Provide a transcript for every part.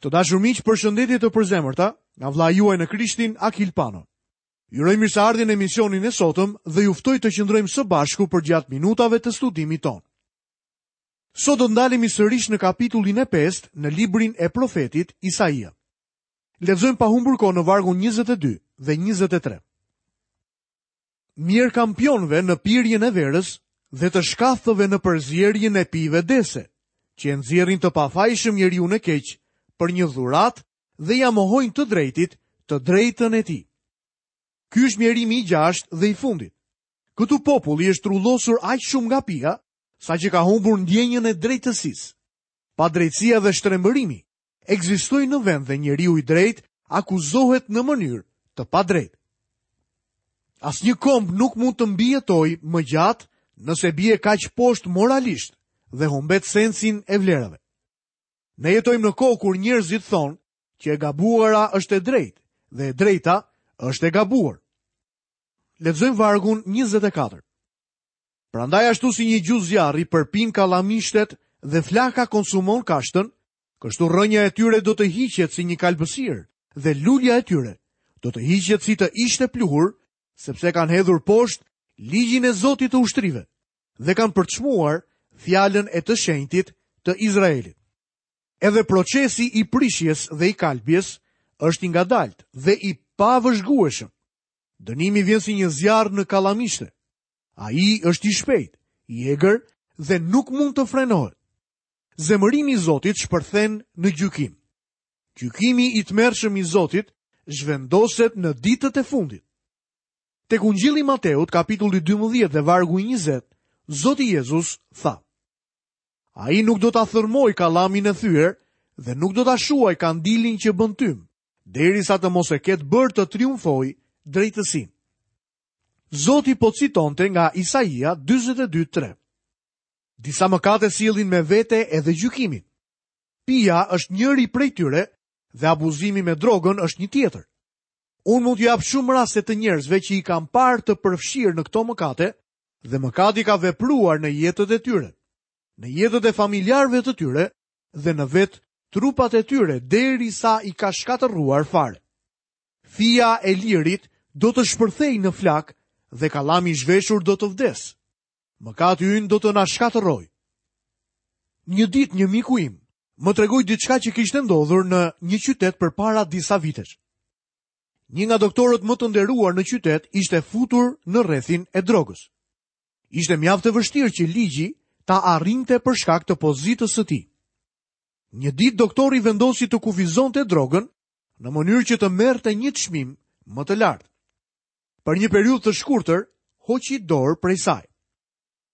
Të dashur miq, përshëndetje të përzemërta nga vëllai juaj në Krishtin, Akil Pano. Ju uroj mirëseardhjen në emisionin e sotëm dhe ju ftoj të qëndrojmë së bashku përgjatë minutave të studimit tonë. Sot do të ndalemi sërish në kapitullin e 5 në librin e profetit Isaia. Lexojmë pa humbur kohë në vargun 22 dhe 23. Mjerë kampionëve në pirjen e verës dhe të shkathtëve në përzierjen e pijeve dehëse, që e nxjerrin të pafajshëm njeriun e keq për një dhuratë dhe ia mohojnë të drejtit të drejtën e tij. Ky është mjerimi i gjashtë dhe i fundit. Këtu populli është trullosur aq shumë nga pija, saqë ka humbur ndjenjën e drejtësisë. Padrejtësia dhe shtrembërimi ekzistojnë në vend dhe njeriu i drejtë akuzohet në mënyrë të padrejtë. Asnjë komb nuk mund të mbijetojë më gjatë nëse bie kaq poshtë moralisht dhe humbet sensin e vlerave. Ne jetojmë në kohë kur njerëzit thonë që e gabuara është e drejtë dhe e drejta është e gabuar. Lexojmë vargun 24. Prandaj ashtu si një gjuhë zjarri përpin kallamishtet dhe flaka konsumon kashtën, kështu rrënja e tyre do të hiqet si një kalbësirë dhe lulja e tyre do të hiqet si të ishte pluhur, sepse kanë hedhur poshtë ligjin e Zotit të ushtrive dhe kanë përçmuar fjalën e të shenjtit të Izraelit. Edhe procesi i prishjes dhe i kalbjes është i ngadaltë dhe i pavëzhgueshëm. Dënimi vjen si një zjarr në kallamishte. Ai është i shpejtë, i egër dhe nuk mund të frenohet. Zemërimi i Zotit shpërthen në gjykim. Gjykimi i tmerrshëm i Zotit zhvendoset në ditët e fundit. Tek Ungjilli i Mateut, kapitulli 12 dhe vargu i 20, Zoti Jezus tha: Ai nuk do ta thërrmojë kallamin e thyer dhe nuk do ta shuajë kandilin që bën tym, derisa të mos e ketë bërë të triumfojë drejtësinë. Zoti po citonte nga Isaia 42:3. Disa mëkate sjellin me vete edhe gjykimin. Pija është njëri prej tyre dhe abuzimi me drogën është një tjetër. Unë mund t'ju jap shumë raste të njerëzve që i kam parë të përfshirë në këto mëkate dhe mëkati ka vepruar në jetët e tyre, në jetët e familjarëve të tyre dhe në vetë trupat e tyre derisa i ka shkatërruar fare. Fija e lirit do të shpërthejë në flakë dhe kallami i zhveshur do të vdesë. Mëkati ynë do të na shkatërrojë. Një ditë një miku im më tregoi diçka që kishte ndodhur në një qytet përpara disa vitesh. Një nga doktorët më të nderuar në qytet ishte futur në rrethin e drogës. Ishte mjaft e vështirë që ligji ta arrinte për shkak të pozitës së tij. Një ditë doktori vendosi të kufizonte drogën në mënyrë që të merrte një çmim më të lartë. Për një periudhë të shkurtër, hoqi dorë prej saj.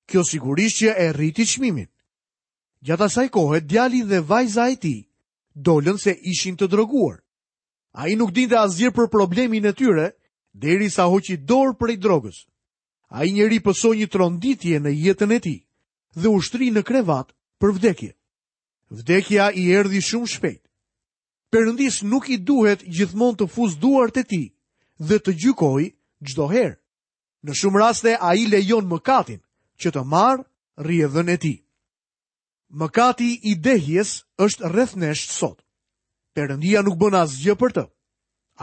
Kjo sigurisht që e rriti çmimin. Gjatë asaj kohe, djali dhe vajza e tij dolën se ishin të droguar. Ai nuk dinte asgjë për problemin e tyre, derisa hoqi dorë prej drogës. Ai njeri pësoi një tronditje në jetën e tij dhe u shtri në krevat për vdekje. Vdekja i erdhi shumë shpejt. Perëndisë nuk i duhet gjithmonë të fusë duart e tij dhe të gjykojë çdo herë. Në shumë raste ai lejon mëkatin që të marrë rrjedhën e tij. Mëkati i dehjes është rreth nesh sot. Perëndia nuk bën asgjë për të.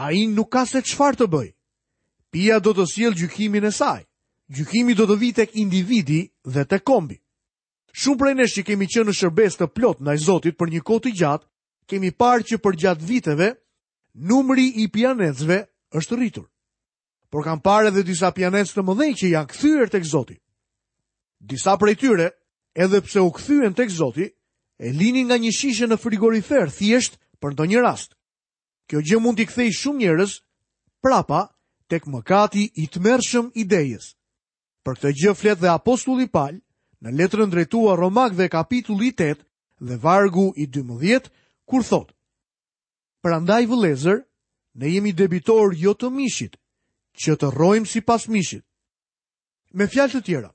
Ai nuk ka se çfarë të bëjë. Pija do të sjellë gjykimin e saj. Gjykimi do të vijë tek individi dhe tek kombi. Shumë prej nesh që kemi qenë në shërbesë të plotë ndaj Zotit për një kohë të gjatë, kemi parë që përgjatë viteve numri i pijanecëve është rritur. Por kam parë edhe disa pijanecë të mëdhenj që janë kthyer tek Zoti. Disa prej tyre, edhe pse u kthyen tek Zoti, e linin nga një shishe në frigorifer thjesht për ndonjë rast. Kjo gjë mund t'i kthejë shumë njerëz prapa tek mëkati i tmerrshëm i dehjes. Për këtë gjë flet dhe apostulli Pal në letrën drejtuar Romakëve kapitulli 8 dhe vargu i 12 kur thotë: Prandaj vëllezër, ne jemi debitorë jo të mishit, që të rrojmë sipas mishit. Me fjalë të tjera,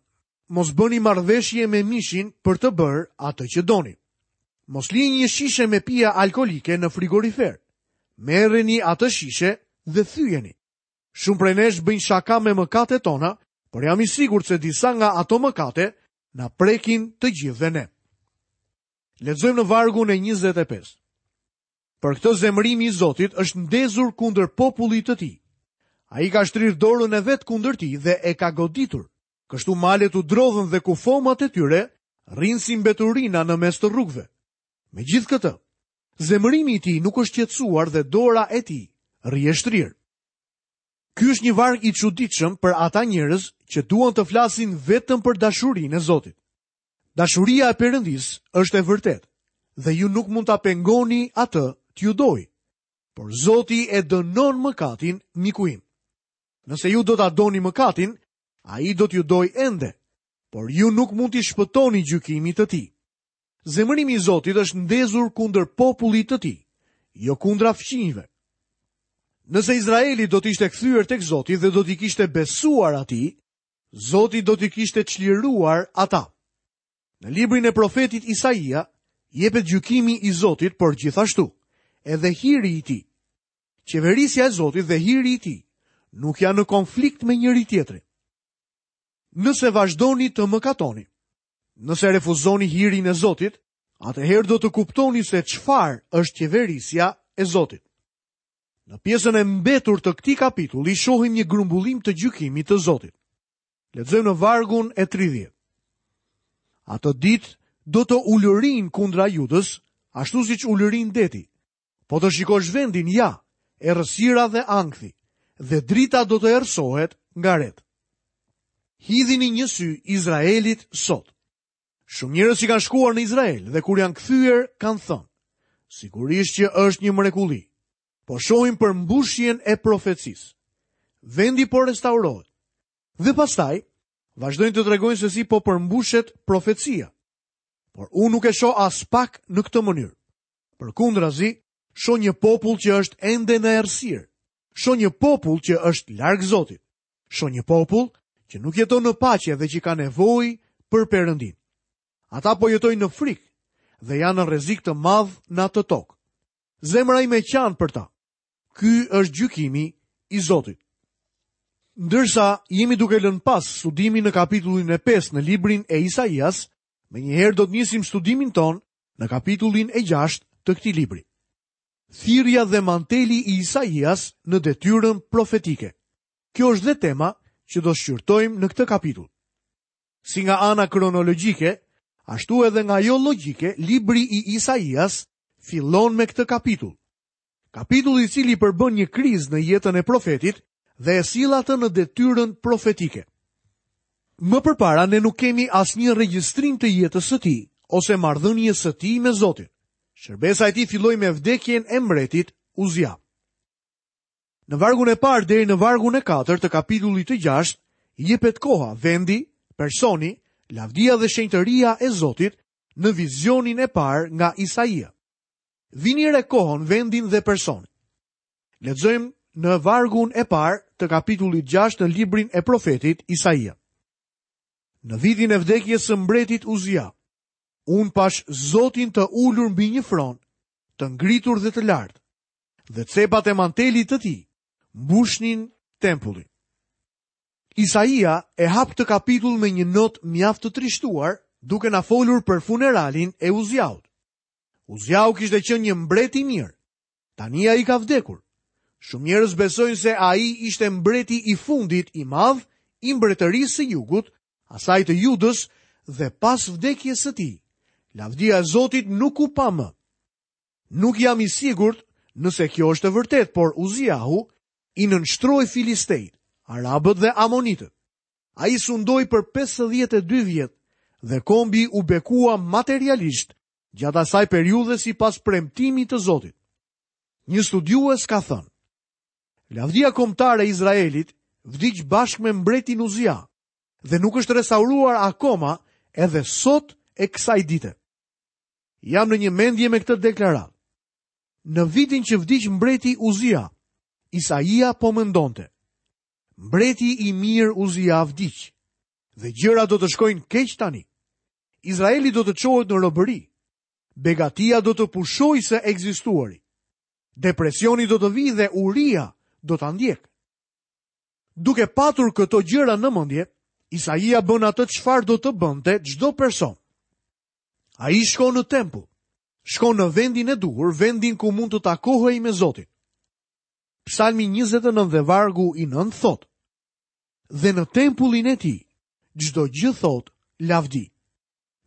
mos bëni marrëveshje me mishin për të bërë atë që doni. Mos lini një shishe me pije alkoolike në frigorifer. Merreni atë shishe dhe thyejeni. Shumë prej nesh bëjnë shaka me mëkatet tona, por jam i sigurt se disa nga ato mëkate na prekin të gjithëve ne. Lexojmë në vargun e 25. Për këtë zemërimi i Zotit është ndezur kundër popullit të tij. Ai ka shtrirë dorën e vet kundër tij dhe e ka goditur. Kështu malet u drodhën dhe kufomat e tyre rrinë si mbeturina në mes të rrugëve. Megjithëkëtë, zemërimi i tij nuk është qetësuar dhe dora e tij rri e shtrirë. Ky është një varg i çuditshëm për ata njerëz që duan të flasin vetëm për dashurinë e Zotit. Dashuria e Perëndisë është e vërtetë dhe ju nuk mund ta pengoni atë t'ju dojë. Por Zoti e dënon mëkatin, miku im. Nëse ju do ta doni mëkatin, ai do t'ju dojë ende, por ju nuk mund t'i shpëtoni gjykimit të tij. Zemërimi i Zotit është ndezur kundër popullit të tij, jo kundra fqinjve. Nëse Izraeli do të ishte kthyer tek Zoti dhe do t'i kishte besuar atij, Zoti do t'i kishte çliruar ata. Në librin e profetit Isaia jepet gjykimi i Zotit, por gjithashtu edhe hiri i tij. Qeverisja e Zotit dhe hiri i tij nuk janë në konflikt me njëri-tjetrin. Nëse vazhdoni të mëkatoni, nëse refuzoni hirin e Zotit, atëherë do të kuptoni se çfarë është qeverisja e Zotit. Në pjesën e mbetur të këtij kapitulli shohim një grumbullim të gjykimit të Zotit. Lexojmë në vargun e 30. Atë ditë do të ulërijnë kundra Judës, ashtu siç ulërin deti. Po të shikosh vendin, ja, errësira dhe ankthi, dhe drita do të errësohet nga retë. Hidhini një sy Izraelit sot. Shumë njerëz që kanë shkuar në Izrael dhe kur janë kthyer kanë thënë, sigurisht që është një mrekulli. Po shohim përmbushjen e profecisë. Vendi po restaurohet. Dhe pastaj vazhdojnë të tregojnë se si po përmbushet profecia. Por unë nuk e shoh aspak në këtë mënyrë. Përkundrazi, shoh një popull që është ende në errësirë. Shoh një popull që është larg Zotit. Shoh një popull që nuk jeton në paqe dhe që ka nevojë për Perëndinë. Ata po jetojnë në frikë dhe janë në rrezik të madh në atë tokë. Zemra ime qan për ta. Ky është gjykimi i Zotit. Ndërsa jemi duke lënë pas studimin në kapitullin e 5 në librin e Isaias, menjëherë do të nisim studimin tonë në kapitullin e 6 të këtij libri. Thirrja dhe manteli i Isaias në detyrën profetike. Kjo është dhe tema që do shqyrtojmë në këtë kapitull. Si nga ana kronologjike, ashtu edhe nga ajo logjike, libri i Isaias fillon me këtë kapitull. Kapitull i cili përbën një krizë në jetën e profetit dhe e sjell atë në detyrën profetike. Më përpara ne nuk kemi asnjë regjistrim të jetës së tij ose marrëdhënies së tij me Zotin. Shërbesa e tij filloi me vdekjen e mbretit Uzia. Në vargun e parë deri në vargun e katërt të kapitullit të gjashtë jepet koha, vendi, personi, lavdia dhe shenjtëria e Zotit në vizionin e parë nga Isaia. Vini re kohën, vendin dhe personin. Lexojmë në vargun e parë të kapitullit 6 në librin e profetit Isaia. Në vitin e vdekjes së mbretit Uzia, unë pashë Zotin të ulur mbi një fron, të ngritur dhe të lartë, dhe cepat e mantelit të tij mbushnin tempullin. Isaia e hap këtë kapitull me një notë mjaft të trishtuar, duke na folur për funeralin e Uziaut. Uziau kishte qenë një mbret i mirë. Tani ai ka vdekur. Shumë njerëz besojnë se ai ishte mbreti i fundit i madh i mbretërisë së jugut, asaj të Judës dhe pas vdekjes së tij, lavdia e Zotit nuk u pa më. Nuk jam i sigurt nëse kjo është e vërtetë, por Uziahu i nënshtroi filistejtë, arabët dhe amonitët. Ai sundoi për 52 vjet dhe kombi u bekua materialisht gjatë asaj periudhe sipas premtimit të Zotit. Një studiues ka thënë: Lavdia kombëtare e Izraelit vdiq bashkë me mbretin Uzia dhe nuk është restauruar akoma edhe sot e kësaj dite. Jam në një mendje me këtë deklaratë. Në vitin që vdiq mbreti Uzia, Isaia po mendonte. Mbreti i mirë Uzia vdiq dhe gjërat do të shkojnë keq tani. Izraeli do të çohet në robëri. Begatia do të pushojë së ekzistuari. Depresioni do të vijë dhe uria do ta ndjekë. Duke patur këto gjëra në mendje, Isaia bën atë çfarë do të bënte çdo person. Ai shkon në tempull. Shkon në vendin e duhur, vendin ku mund të takohej me Zotin. Psalmi 29 dhe vargu i 9 thotë: Dhe në tempullin e tij çdo gjë thotë lavdi.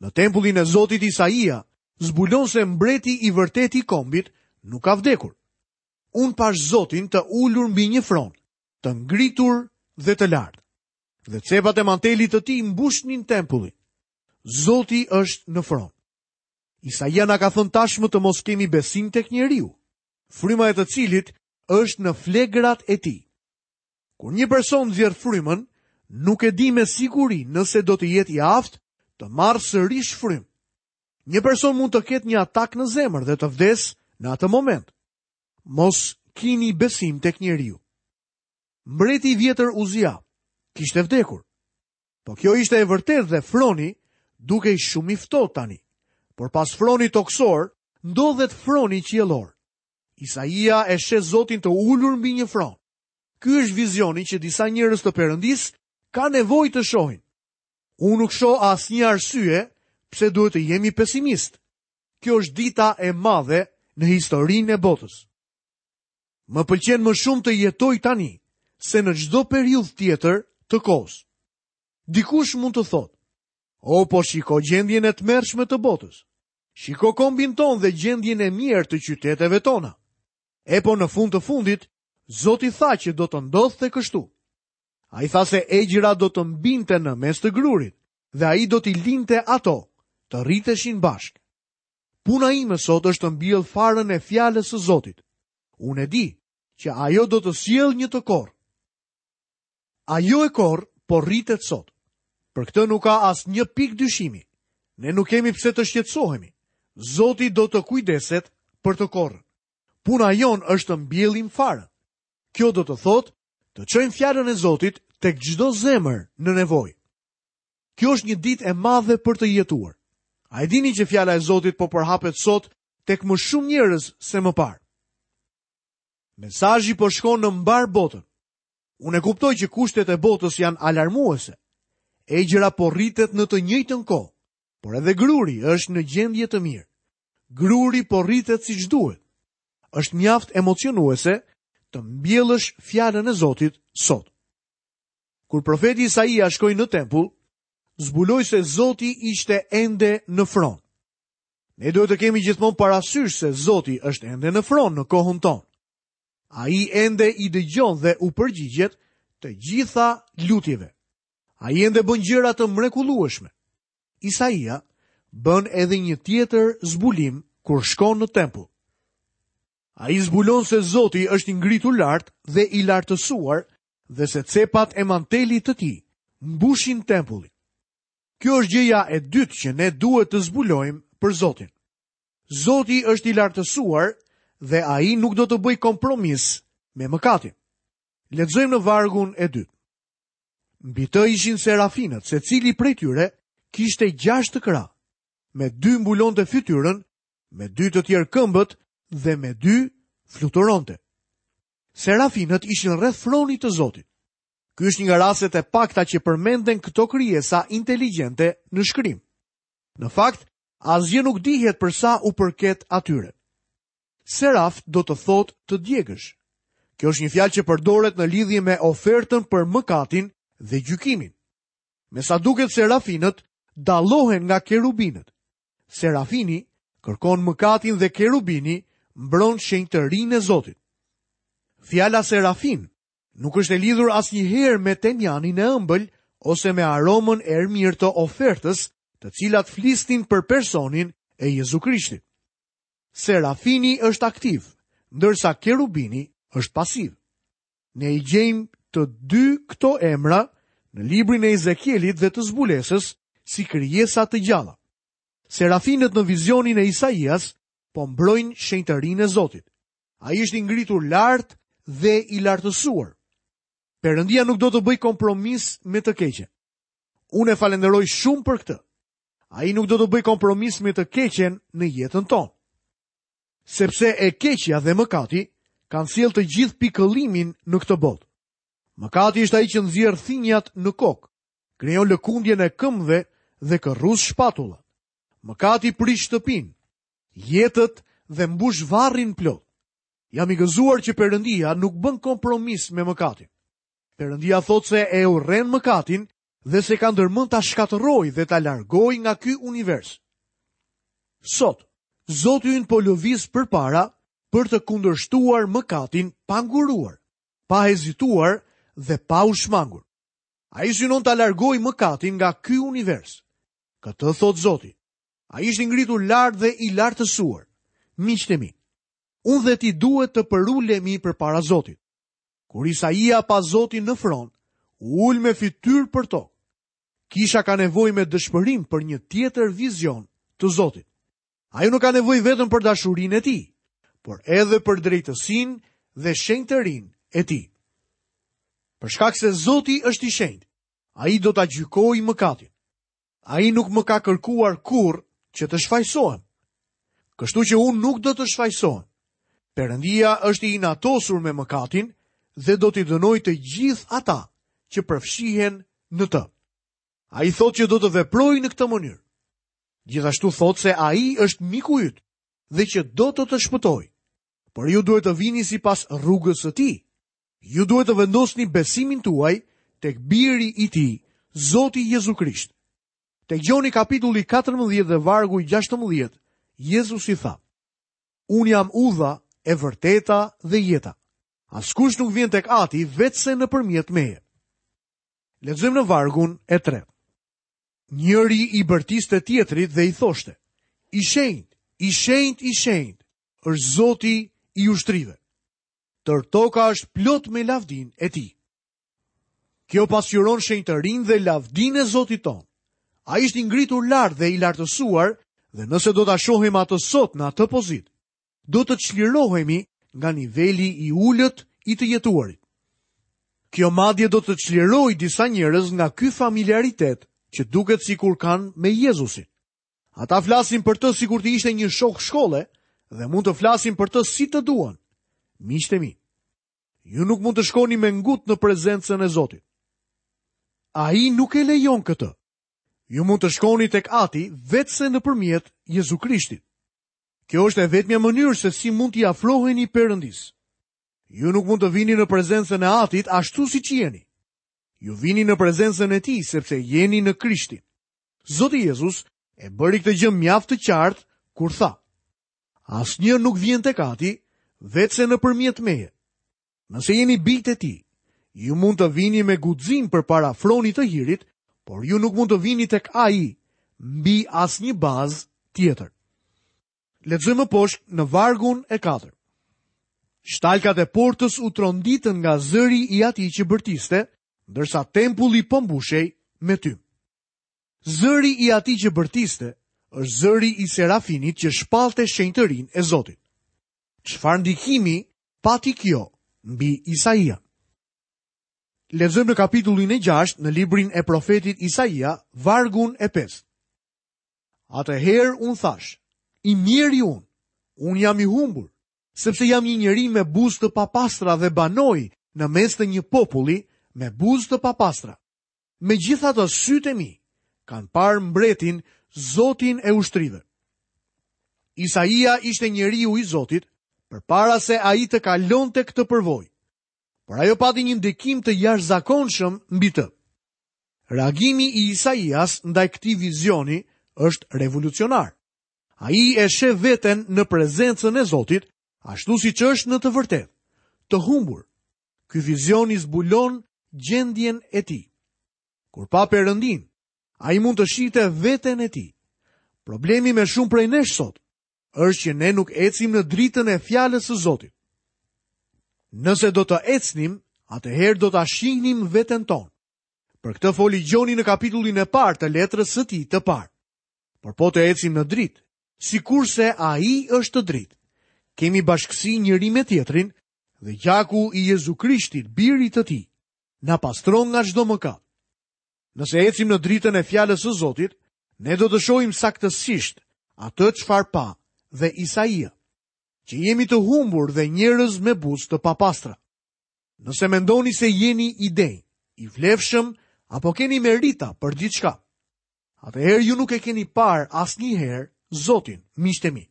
Në tempullin e Zotit Isaia zbulon se mbreti i vërtetë i kombit nuk ka vdekur. Unë pashë Zotin të ulur mbi një fron, të ngritur dhe të lartë. Dhe cepat e mantelit të tij mbushnin tempullin. Zoti është në fron. Isaia na ka thënë tashmë të mos kemi besim tek njeriu, fryma e të cilit është në flegrat e tij. Kur një person nxjerr frymën, nuk e di me siguri nëse do të jetë i aftë të marrë sërish frymë. Një person mund të ketë një atak në zemër dhe të vdesë në atë moment. Mos kini besim tek njeriu. Mbreti i vjetër Uzia kishte vdekur. Po kjo ishte e vërtetë dhe froni dukej shumë i ftohtë tani. Por pas fronit tokësor ndodhet froni qiellor. Isaia e sheh Zotin të ulur mbi një fron. Ky është vizioni që disa njerëz të Perëndisë kanë nevojë të shohin. Unë nuk shoh asnjë arsye pse duhet të jemi pesimistë. Kjo është dita e madhe në historinë e botës. Më pëlqen më shumë të jetoj tani se në çdo periudhë tjetër të kohës. Dikush mund të thotë, "O po shiko gjendjen e tmerrshme të botës. Shiko kombin tonë dhe gjendjen e mjerë të qyteteve tona." E po në fund të fundit, Zoti tha që do të ndodhte kështu. Ai tha se egjra do të mbinte në mes të grurit dhe ai do t'i linte ato të rriteshin bashkë. Puna ime sot është të mbjell farën e fjalës së Zotit. Unë e di që ajo do të sjellë një të korrë. Ajo e korrë po rritet sot. Për këtë nuk ka asnjë pikë dyshimi. Ne nuk kemi pse të shqetësohemi. Zoti do të kujdeset për të korrën. Puna jonë është të mbjellim farën. Kjo do të thotë të çojmë fjalën e Zotit tek çdo zemër në nevojë. Kjo është një ditë e madhe për të jetuar. A e dini që fjala e Zotit po përhapet sot tek më shumë njerëz se më parë? Mesazhi po shkon në mbarë botën. Unë e kuptoj që kushtet e botës janë alarmuese. Egjra po rritet në të njëjtën kohë, por edhe gruri është në gjendje të mirë. Gruri po rritet siç duhet. Është mjaft emocionuese të mbjellësh fjalën e Zotit sot. Kur profeti Isaia shkoi në tempull, zbuloi se Zoti ishte ende në fron. Ne duhet të kemi gjithmonë parasysh se Zoti është ende në fron në kohën tonë. Ai ende i dëgjon dhe u përgjigjet të gjitha lutjeve. Ai ende bën gjëra të mrekullueshme. Isaia bën edhe një tjetër zbulim kur shkon në tempull. Ai zbulon se Zoti është i ngritur lart dhe i lartësuar dhe se cepat e mantelit të tij mbushin tempullin. Kjo është gjëja e dytë që ne duhet të zbulojmë për Zotin. Zoti është i lartësuar dhe ai nuk do të bëjë kompromis me mëkatin. Lexojmë në vargun e dytë. Mbi të ishin serafinët, secili prej tyre kishte gjashtë krahë. Me dy mbulonte fytyrën, me dy të tjerë këmbët dhe me dy fluturonte. Serafinët ishin rreth fronit të Zotit. Ky është një nga rastet e pakta që përmenden këto krijesa inteligjente në shkrim. Në fakt, asgjë nuk dihet për sa u përket atyre. Seraf do të thotë të djegësh. Kjo është një fjalë që përdoret në lidhje me ofertën për mëkatin dhe gjykimin. Me sa duket serafinët dallohen nga kerubinët. Serafini kërkon mëkatin dhe kerubini mbron shenjtërinë e Zotit. Fjala serafin nuk është e lidhur asnjëherë me temjanin e ëmbël ose me aromën e erëmirë të ofertës, të cilat flisnin për personin e Jezu Krishtit. Serafini është aktiv, ndërsa kerubini është pasiv. Ne i gjejmë të dy këto emra në librin e Ezekielit dhe të Zbulesës si krijesa të gjalla. Serafinët në vizionin e Isaias po mbrojnë shenjtërinë e Zotit. Ai është i ngritur lart dhe i lartësuar. Perëndia nuk do të bëjë kompromis me të keqen. Unë e falënderoj shumë për këtë. Ai nuk do të bëjë kompromis me të keqen në jetën tonë. Sepse e keqja dhe mëkati kanë sjellë të gjithë pikëllimin në këtë botë. Mëkati është ai që nxjerr thinjat në kokë, krijon lëkundjen e këmbëve dhe kërrus shpatullat. Mëkati prish shtëpinë. jetët dhe mbush varrin plot. Jam i gëzuar që Perëndia nuk bën kompromis me mëkatin. Perëndia thotë se e urren mëkatin dhe se ka ndërmend ta shkatërrojë dhe ta largojë nga ky univers. Sot, Zoti ynë po lëviz përpara për të kundërshtuar mëkatin pa nguruar, pa hezituar dhe pa u shmangur. Ai synon ta largojë mëkatin nga ky univers. Këtë thotë Zoti. Ai është i ngritur lart dhe i lartësuar. Miqtë e mi, unë dhe ti duhet të përulemi përpara Zotit. Kur Isaia pa Zotin në fron, u ul me fytyrë për tokë. Kisha ka nevojë me dëshpërim për një tjetër vizion të Zotit. Ajo nuk ka nevojë vetëm për dashurinë e tij, por edhe për drejtësinë dhe shenjtërinë e tij. Për shkak se Zoti është i shenjtë, ai do ta gjykojë mëkatin. Ai nuk më ka kërkuar kurrë që të shfajësohem. Kështu që unë nuk do të shfajësohem. Perëndia është i inatosur me mëkatin dhe do t'i dënojë të gjithë ata që përfshihen në të. Ai thotë që do të veprojë në këtë mënyrë. Gjithashtu thotë se ai është miku yt dhe që do të të shpëtojë. Por ju duhet të vini sipas rrugës së tij. Ju duhet të vendosni besimin tuaj tek biri i tij, Zoti Jezu Krisht. Tek Gjoni kapitulli 14 dhe vargu 16, Jezusi tha: Unë jam udha, e vërteta dhe jeta. Askush nuk vjen tek Ati veçse nëpërmjet meje. Lexojmë në vargun e tretë. Njëri i bërtiste tjetrit dhe i thoshte: I shenjtë, i shenjtë, i shenjtë është Zoti i ushtrive. Tërë toka është plot me lavdinë e tij. Kjo pasqyron shenjtërinë dhe lavdinë e Zotit tonë. Ai është i ngritur lart dhe i lartësuar dhe nëse do ta shohim atë sot në atë pozitë, do të çlirohemi nga niveli i ulët i të jetuarit. Kjo madje do të çlirojë disa njerëz nga ky familiaritet që duket sikur kanë me Jezusin. Ata flasin për të sikur të ishte një shok shkolle dhe mund të flasin për të si të duan. Miqtë e mi, ju nuk mund të shkoni me ngut në prezencën e Zotit. Ai nuk e lejon këtë. Ju mund të shkoni tek Ati veçse nëpërmjet Jezu Krishtit. Kjo është e vetmja mënyrë se si mund t'i afroheni Perëndisë. Ju nuk mund të vini në prezencën e Atit ashtu siç jeni. Ju vini në prezencën e Tij sepse jeni në Krishtin. Zoti Jezus e bëri këtë gjë mjaft të qartë kur tha: Asnjë nuk vjen tek Ati veçse nëpërmjet meje. Nëse jeni bijtë e tij, ju mund të vini me guxim përpara fronit të hirit, por ju nuk mund të vini tek ai mbi asnjë bazë tjetër. Lexojmë më poshtë në vargun e 4. Shtalkat e portës u tronditën nga zëri i atij që bërtiste, ndërsa tempulli po mbushej me tym. Zëri i atij që bërtiste është zëri i serafinit që shpallte shenjtërinë e Zotit. Çfarë ndikimi pati kjo mbi Isaian? Lexojmë në kapitullin e 6 në librin e profetit Isaia, vargun e 5. Atëherë unë thashë, i mjeri unë, unë jam i humbur, sepse jam një njeri me buzë të papastra dhe banoj në mes të një populli me buzë të papastra. Megjithatë sytë e mi kanë parë mbretin, Zotin e ushtrive. Isaia ishte njeriu i Zotit përpara se ai të kalonte këtë përvojë. Por ajo pati një ndikim të jashtëzakonshëm mbi të. Reagimi i Isaias ndaj këtij vizioni është revolucionar. Ai e sheh veten në prezencën e Zotit, ashtu siç është në të vërtetë, të humbur. Ky vizion i zbulon gjendjen e tij. Kur pa Perëndinë, ai mund të shihte veten e tij. Problemi me shumë prej nesh sot është që ne nuk ecim në dritën e fjalës së Zotit. Nëse do të ecnim, atëherë do ta shihnim veten tonë. Për këtë foli Gjoni në kapitullin e parë të letrës së tij të parë. Por po të ecim në dritë, sikurse ai është në dritë. Kemi bashkësi njëri me tjetrin dhe gjaku i Jezu Krishtit, birit të tij, na pastron nga çdo mëkat. Nëse ecim në dritën e fjalës së Zotit, ne do të shohim saktësisht atë çfarë pa dhe Isaia, që jemi të humbur dhe njerëz me buzë të papastra. Nëse mendoni se jeni i denjë, i vlefshëm apo keni merita për diçka, atëherë ju nuk e keni parë asnjëherë Zotin, miqtë e mi.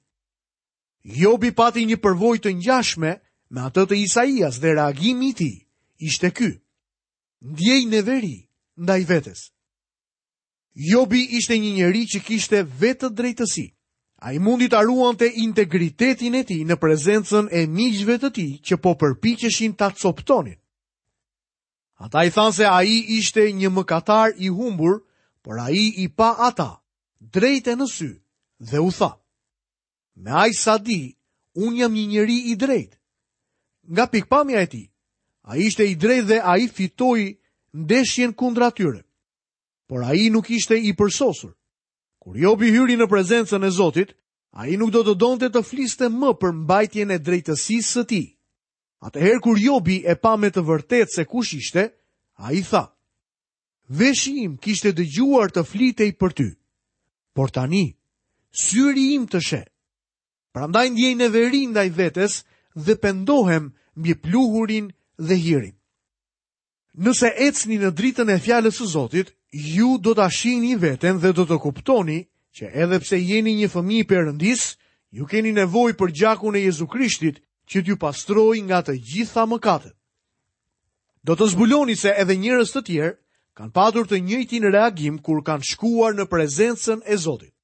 Jobi pati një përvojë të ngjashme me atë të Isaias dhe reagimi i tij ishte ky. Ndjej neveri ndaj vetes. Jobi ishte një njeri që kishte vetëdrejtësi. Ai mundi ta ruante integritetin e tij në prezencën e miqve të tij që po përpiqeshin ta copëtonin. Ata i thanë se ai ishte një mëkatar i humbur, por ai i pa ata drejt e në sy dhe u tha: Me aq sa di, unë jam një njeri i drejtë. Nga pikëpamja e tij, ai ishte i drejtë dhe ai fitoi ndeshjen kundra tyre. Por ai nuk ishte i përsosur. Kur Jobi hyri në prezencën e Zotit, ai nuk do të donte të fliste më për mbajtjen e drejtësisë së tij. Atëherë kur Jobi e pa me të vërtetë se kush ishte, ai tha: Veshi im kishte dëgjuar të flitej për ty, por tani syri im të sheh. Prandaj ndjej neveri ndaj vetes dhe pendohem mbi pluhurin dhe hirin. Nëse ecni në dritën e fjalës së Zotit, ju do ta shihni veten dhe do të kuptoni që edhe pse jeni një fëmijë i Perëndisë, ju keni nevojë për gjakun e Jezu Krishtit që t'ju pastrojë nga të gjitha mëkatet. Do të zbuloni se edhe njerëz të tjerë kanë patur të njëjtin reagim kur kanë shkuar në prezencën e Zotit.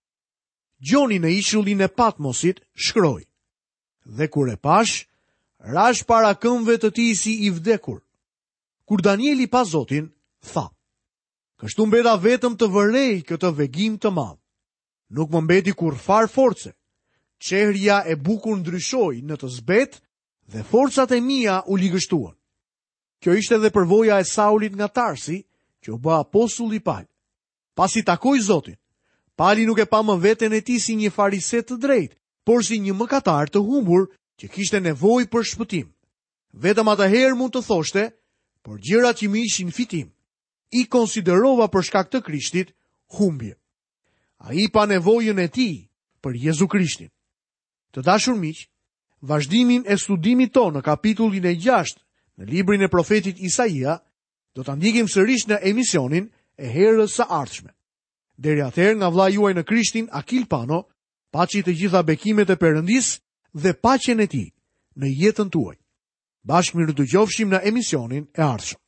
Gjoni në ishullin e Patmosit shkroi: Dhe kur e pashë, rashë para këmbëve të tij si i vdekur. Kur Danieli pa Zotin, tha: Kështu mbeta vetëm të vërej këtë vegim të madh. Nuk më mbeti kurrfarë force. Çehrja e bukur ndryshoi në të zbehtë dhe forcat e mia u ligështuan. Kjo ishte edhe përvoja e Saulit nga Tarsi, që u bë apostulli Pal. Pasi takoi Zotin, Pali nuk e pa më veten e tij si një farise të drejtë, por si një mëkatar të humbur që kishte nevojë për shpëtim. Vetëm atëherë mund të thoshte, por gjërat që më ishin fitim, i konsiderova për shkak të Krishtit humbje. Ai pa nevojën e tij për Jezu Krishtin. Të dashur miq, vazhdimin e studimit tonë në kapitullin e 6 në librin e profetit Isaia, do ta ndjekim sërish në emisionin e herës së ardhshme. Deri atëherë nga vëllai juaj në Krishtin, Akil Pano, paçi të gjitha bekimet e Perëndisë dhe paqen e tij në jetën tuaj. Bashkë mirudëgjofshim në emisionin e ardhshëm.